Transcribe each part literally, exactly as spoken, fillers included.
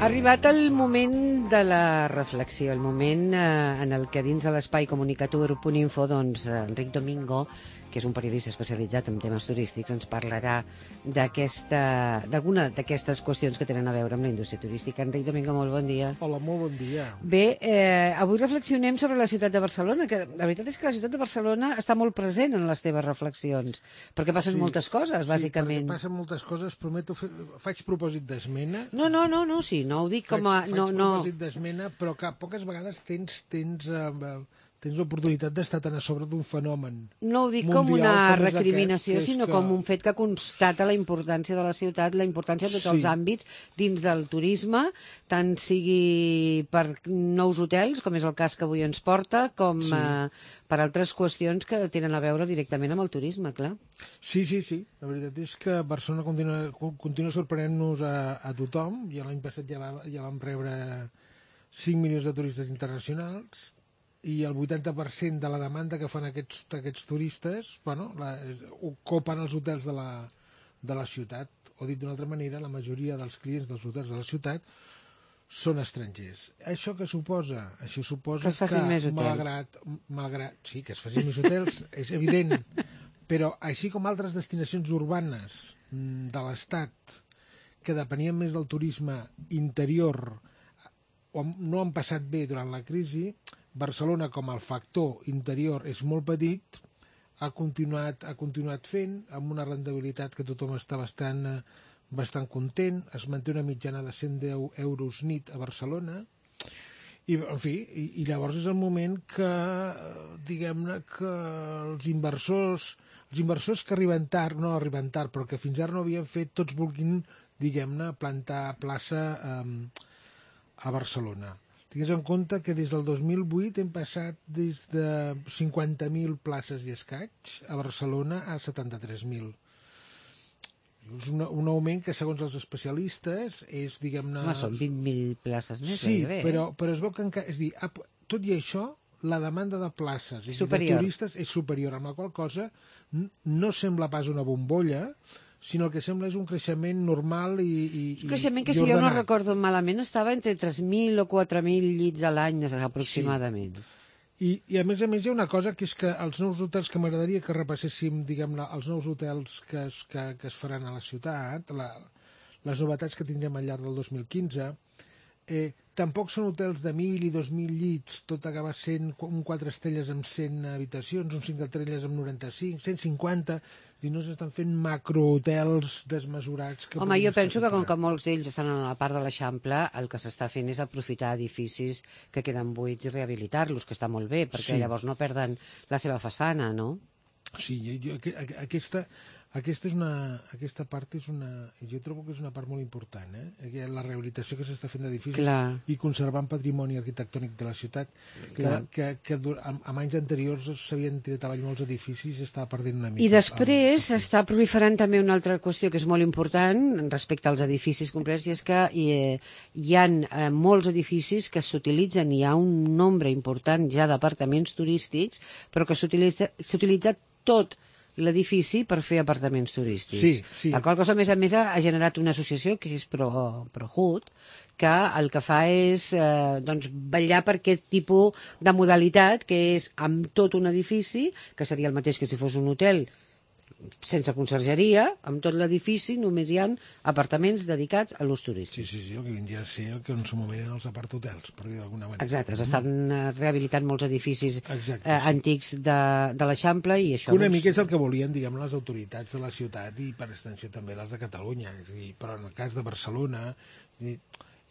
Ha arribat el moment de la reflexió, el moment eh, en el que dins de l'espai comunicatiu punt info, doncs, Enric Domingo, que és un periodista especialitzat en temes turístics, ens parlarà d'aquesta, d'alguna d'aquestes qüestions que tenen a veure amb la indústria turística. Enric Domingo, molt bon dia. Hola, molt bon dia. Bé, eh, avui reflexionem sobre la ciutat de Barcelona, que la veritat és que la ciutat de Barcelona està molt present en les teves reflexions, perquè passen Sí, moltes coses, bàsicament. Sí, perquè passen moltes coses, prometo, fer, faig propòsit d'esmena. No, no, no, no, sí, no ho dic com a... Faig, no, faig no. propòsit d'esmena, però que poques vegades tens, tens, eh, tens l'oportunitat d'estar tan a sobre d'un fenomen No ho dic mundial com una com és recriminació, aquest, que és sinó que- com un fet que constata la importància de la ciutat, la importància de tots Sí. els àmbits dins del turisme, tant sigui per nous hotels, com és el cas que avui ens porta, com Sí. eh, per altres qüestions que tenen a veure directament amb el turisme, clar. Sí, sí, sí. La veritat és que Barcelona continua, continua sorprenent-nos a, a tothom. Ja l'any passat ja, va, ja vam rebre cinc milions de turistes internacionals i el vuitanta per cent de la demanda que fan aquests, aquests turistes, bueno, la, ocupen els hotels de la, de la ciutat. O dit d'una altra manera, la majoria dels clients dels hotels de la ciutat són estrangers. Això que suposa? Això suposa Que es facin més hotels. malgrat, malgrat... Sí, que es facin més hotels, és evident. Però així com altres destinacions urbanes mm, de l'Estat que depenien més del turisme interior o no han passat bé durant la crisi, Barcelona, com el factor interior és molt petit, ha continuat, ha continuat fent amb una rendibilitat que tothom està bastant, eh, bastant content, es manté una mitjana de cent deu euros nit a Barcelona, i, en fi, i, i llavors és el moment que, eh, diguem-ne, que els inversors, els inversors que arriben tard, no arriben tard, però que fins ara no havien fet, tots vulguin, diguem-ne, plantar plaça eh, a Barcelona. Tingues en compte que des del dos mil vuit hem passat des de cinquanta mil places i escaig a Barcelona a setanta-tres mil. És un, un augment que, segons els especialistes, és, diguem-ne... Home, són vint mil places més, Sí, gairebé, eh? però, però es veu que encara... És dir, tot i això, la demanda de places i de Superior. turistes és superior, amb la qual cosa n- no sembla pas una bombolla, sinó el que sembla és un creixement normal i, i, Un creixement que, i si jo no ordenat. recordo malament, estava entre tres mil o quatre mil llits a l'any, aproximadament. I, I a més a més hi ha una cosa que és que els nous hotels, que m'agradaria que repasséssim, diguem-ne, els nous hotels que es, que, que es faran a la ciutat, la, les novetats que tindrem al llarg del dos mil quinze, eh, tampoc són hotels de mil i dos mil llits, tot acaba sent un quatre estrelles amb cent habitacions, un cinc estrelles amb noranta-cinc, cent cinquanta, i no s'estan fent macrohotels desmesurats. Que Home, puguin jo estar penso que com tot que molts d'ells estan a la part de l'Eixample, el que s'està fent és aprofitar edificis que queden buits i rehabilitar-los, que està molt bé, perquè Sí. llavors no perden la seva façana, no? Sí, jo, jo, aquesta, aquesta, és una, aquesta part és una... Jo trobo que és una part molt important, eh? La rehabilitació que s'està fent d'edificis Clar. i conservant patrimoni arquitectònic de la ciutat, que, Clar. que, que dur- amb, amb anys anteriors s'havien tirat avall molts edificis i s'estava perdent una mica. I després el- està proliferant també una altra qüestió que és molt important respecte als edificis complets, i és que hi, hi ha eh, molts edificis que s'utilitzen, hi ha un nombre important ja d'apartaments turístics, però que s'utilitza s'utilitza tot l'edifici per fer apartaments turístics. Sí, sí. La qual cosa, a més a més, ha ha generat una associació que és Pro, ProHood, que el que fa és eh, doncs, vetllar per aquest tipus de modalitat, que és amb tot un edifici, que seria el mateix que si fos un hotel sense consergeria, amb tot l'edifici només hi ha apartaments dedicats a l'ús Sí, turístic. sí, sí, el que vindria a ser el que en su moment eren els aparthotels, per dir d'alguna manera. Exacte, s'estan eh, rehabilitant molts edificis Exacte, eh, sí. antics de, de l'Eixample i això... Que una doncs, mica és el que volien, diguem, les autoritats de la ciutat i per extensió també les de Catalunya, és a dir, però en el cas de Barcelona, és a dir,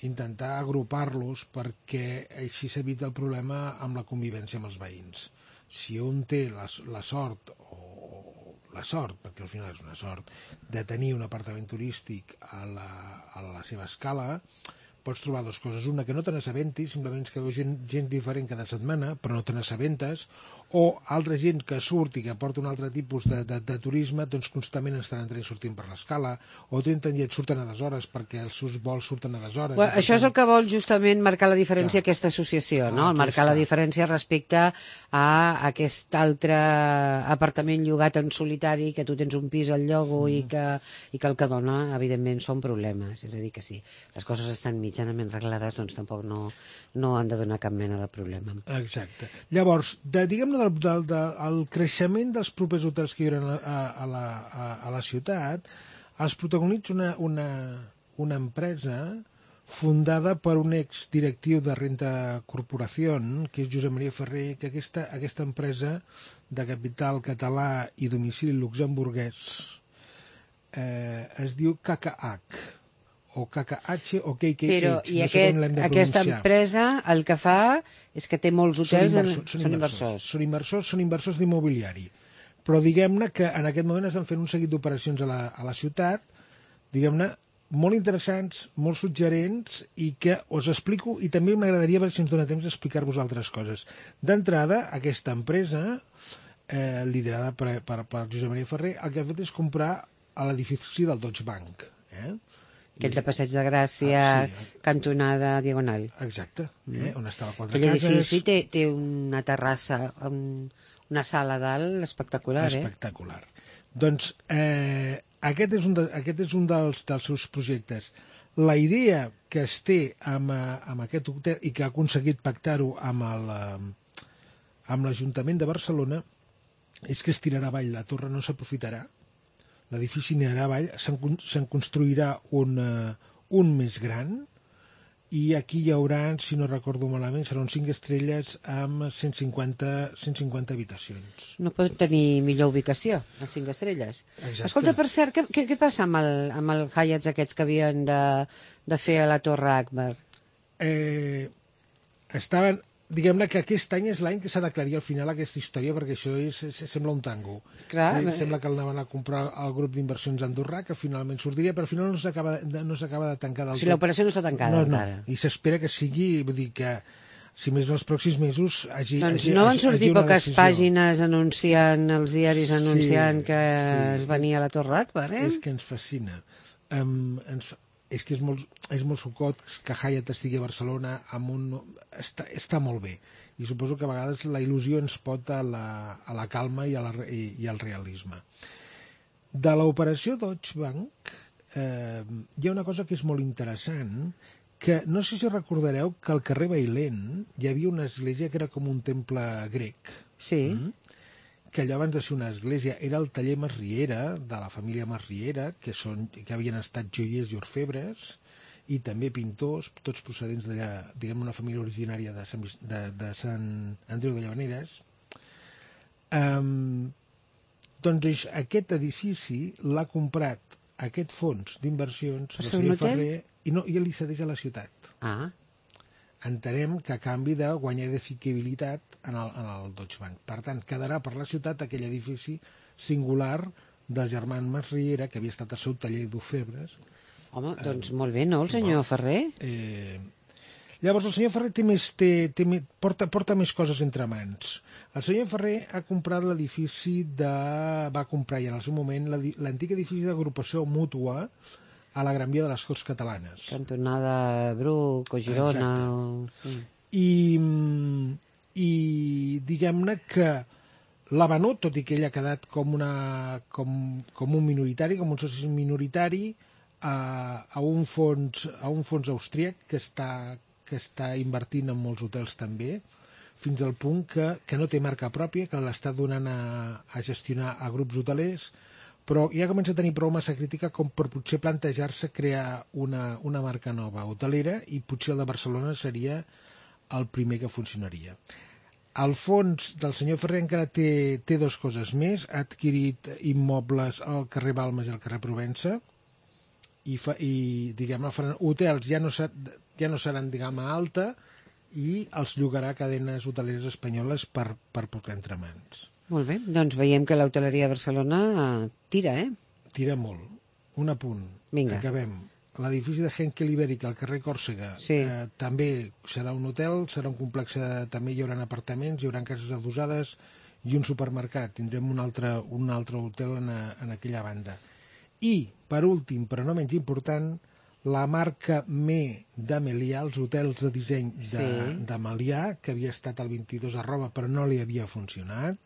intentar agrupar-los perquè així s'evita el problema amb la convivència amb els veïns. Si un té la, la sort, o la sort, perquè al final és una sort, de tenir un apartament turístic a la, a la seva escala, pots trobar dues coses. Una, que no te n'assabentis, simplement que veus gent, gent diferent cada setmana, però no te n'assabentes, o altra gent que surt i que porta un altre tipus de, de, de turisme, doncs constantment estan entrant i sortint per l'escala, o tenen gent surten a deshores perquè els seus vols surten a deshores. Bueno, això tant... és el que vol justament marcar la diferència Clar. aquesta associació, no? Ah, Marcar la diferència respecte a aquest altre apartament llogat en solitari, que tu tens un pis al llogo mm. i, que, i que el que dona, evidentment, són problemes. És a dir, que si les coses estan mitjanament reglades, doncs tampoc no, no han de donar cap mena de problema. Exacte. Llavors, de, diguem-ne, del, del, del, el creixement dels propers hotels que hi haurà a, a, la, a, a la ciutat, els protagonitza una, una, una empresa fundada per un exdirectiu de Renta Corporación, que és Josep Maria Ferrer, que aquesta, aquesta empresa de capital català i domicili luxemburguès eh, es diu K K H, o K K H o K K H. Però, i no aquest, sé aquesta empresa el que fa és que té molts hotels... Són, inversors, en... són, són inversors, inversors. Són inversors, són inversors d'immobiliari. Però diguem-ne que en aquest moment estan fent un seguit d'operacions a, la, a la ciutat, diguem-ne, molt interessants, molt suggerents, i que us explico, i també m'agradaria veure si ens dona temps d'explicar-vos altres coses. D'entrada, aquesta empresa, eh, liderada per, per, per Josep Maria Ferrer, el que ha fet és comprar a l'edifici del Deutsche Bank, eh? Aquell de Passeig de Gràcia, ah, sí. Cantonada Diagonal. Exacte, eh? On estava quatre Aquell cases. Aquell edifici té, té una terrassa, un, una sala a dalt espectacular. Espectacular. Eh? Doncs eh, aquest és un, de, aquest és un dels, dels seus projectes. La idea que es té amb, amb aquest hotel i que ha aconseguit pactar-ho amb el, amb l'Ajuntament de Barcelona és que es tirarà avall la torre, no s'aprofitarà. L'edifici anirà avall, se'n, se'n construirà un, uh, un més gran, i aquí hi haurà, si no recordo malament, seran cinc estrelles amb cent cinquanta, cent cinquanta habitacions. No pot tenir millor ubicació, els cinc estrelles. Exacte. Escolta, per cert, què, què, què passa amb el, amb el Hyatts aquests que havien de, de fer a la Torre Akbar? Eh, estaven... Diguem-ne que aquest any és l'any que s'ha d'aclarir al final aquesta història, perquè això és, és, sembla un tango. Clar, eh, sembla que el anaven a comprar el grup d'inversions andorrà, que finalment sortiria, però al final no s'acaba no s'acaba de tancar del tot. O sigui, l'operació no està tancada no, no. encara. I s'espera que sigui, vull dir que si més els pròxims mesos hagi, doncs hagi, no van hagi, sortir hagi poques decisió. pàgines anunciant, els diaris anunciant sí, que sí. es venia a la Torre Akbar, eh? És que ens fascina. Um, ens, és que és molt, és molt sucot que Hyatt estigui a Barcelona amb un... Està, està molt bé. I suposo que a vegades la il·lusió ens pot a la, a la calma i, a la, i, i al realisme. De l'operació Deutsche Bank eh, hi ha una cosa que és molt interessant, que no sé si recordareu que al carrer Bailén hi havia una església que era com un temple grec. Sí. Mm? Que allò abans de ser una església era el taller Masriera, de la família Masriera, que, són, que havien estat joiers i orfebres, i també pintors, tots procedents d'allà, diguem, una família originària de Sant, de, de Sant Andreu de Llavaneres. Um, doncs aquest edifici l'ha comprat aquest fons d'inversions del senyor Ferrer i, no, i li cedeix a la ciutat. Ah. Entenem que a canvi de guanyar edificabilitat en el, en el Deutsche Bank. Per tant, quedarà per la ciutat aquell edifici singular del germà Masriera, que havia estat el seu taller d'orfebres. Home, doncs eh, molt bé, no, el senyor Ferrer? Eh, llavors, el senyor Ferrer té més, té, té, porta, porta més coses entre mans. El senyor Ferrer ha comprat l'edifici de... va comprar ja en el seu moment l'antic edifici d'agrupació mútua a la Gran Via de les Corts Catalanes. Cantonada Bruc o Girona. O... Sí. I, i diguem-ne que l'ha venut, tot i que ell ha quedat com, una, com, com un minoritari, com un soci minoritari, a, a, un fons, a un fons austríac que està, que està invertint en molts hotels també, fins al punt que, que no té marca pròpia, que l'està donant a, a gestionar a grups hotelers, però ja comença a tenir prou massa crítica com per potser plantejar-se crear una, una marca nova hotelera, i potser el de Barcelona seria el primer que funcionaria. El fons del senyor Ferrer encara té, té dues coses més. Ha adquirit immobles al carrer Balmes i al carrer Provença, i, fa, i diguem, faran hotels ja no, ser, ja no seran, diguem, a alta, i els llogarà a cadenes hoteleres espanyoles per, per portar entre mans. Molt bé, doncs veiem que l'hoteleria a Barcelona tira, eh? Tira molt. Un apunt. Vinga. Acabem. l'edifici de Henkel Ibèrica al carrer Còrsega, Sí. eh, també serà un hotel, serà un complex, de, també hi haurà apartaments, hi haurà cases adossades i un supermercat. Tindrem un altre, un altre hotel en, a, en aquella banda. I, per últim, però no menys important, la marca Me d'Amelià, els hotels de disseny de, Sí. d'Amelià, que havia estat al vint-i-dos arroba però no li havia funcionat,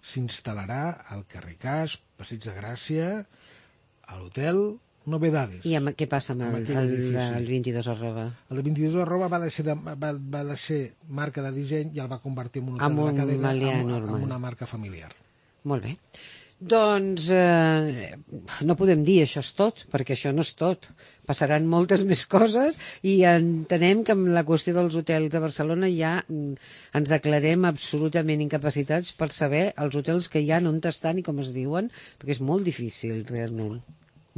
s'instal·larà al carrer Cas, Passeig de Gràcia, a l'hotel Novedades. I amb, què passa amb, Amb el, aquell el, edifici. el vint-i-dos arroba? El de vint-i-dos arroba va deixar, de, va, va deixar marca de disseny i el va convertir en un hotel Amb de la un cadena, Melià amb, normal. amb una marca familiar. Molt bé. Doncs eh, no podem dir això és tot, perquè això no és tot. Passaran moltes més coses i entenem que amb la qüestió dels hotels de Barcelona ja mm, ens declarem absolutament incapacitats per saber els hotels que hi ha, on estan i com es diuen, perquè és molt difícil, realment.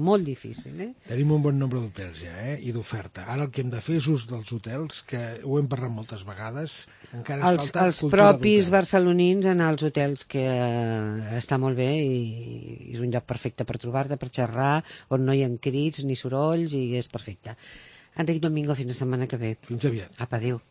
Molt difícil, eh? Tenim un bon nombre d'hotels ja, eh? I d'oferta. Ara el que hem de fer és ús dels hotels, que ho hem parlat moltes vegades. Encara ens Els, falta els cultura propis d'hotel. barcelonins anar als hotels, que eh, està molt bé i és un lloc perfecte per trobar-te, per xerrar, on no hi ha crits ni sorolls i és perfecte. Enric Domingo, fins la setmana que ve. Fins aviat. Apa, adéu.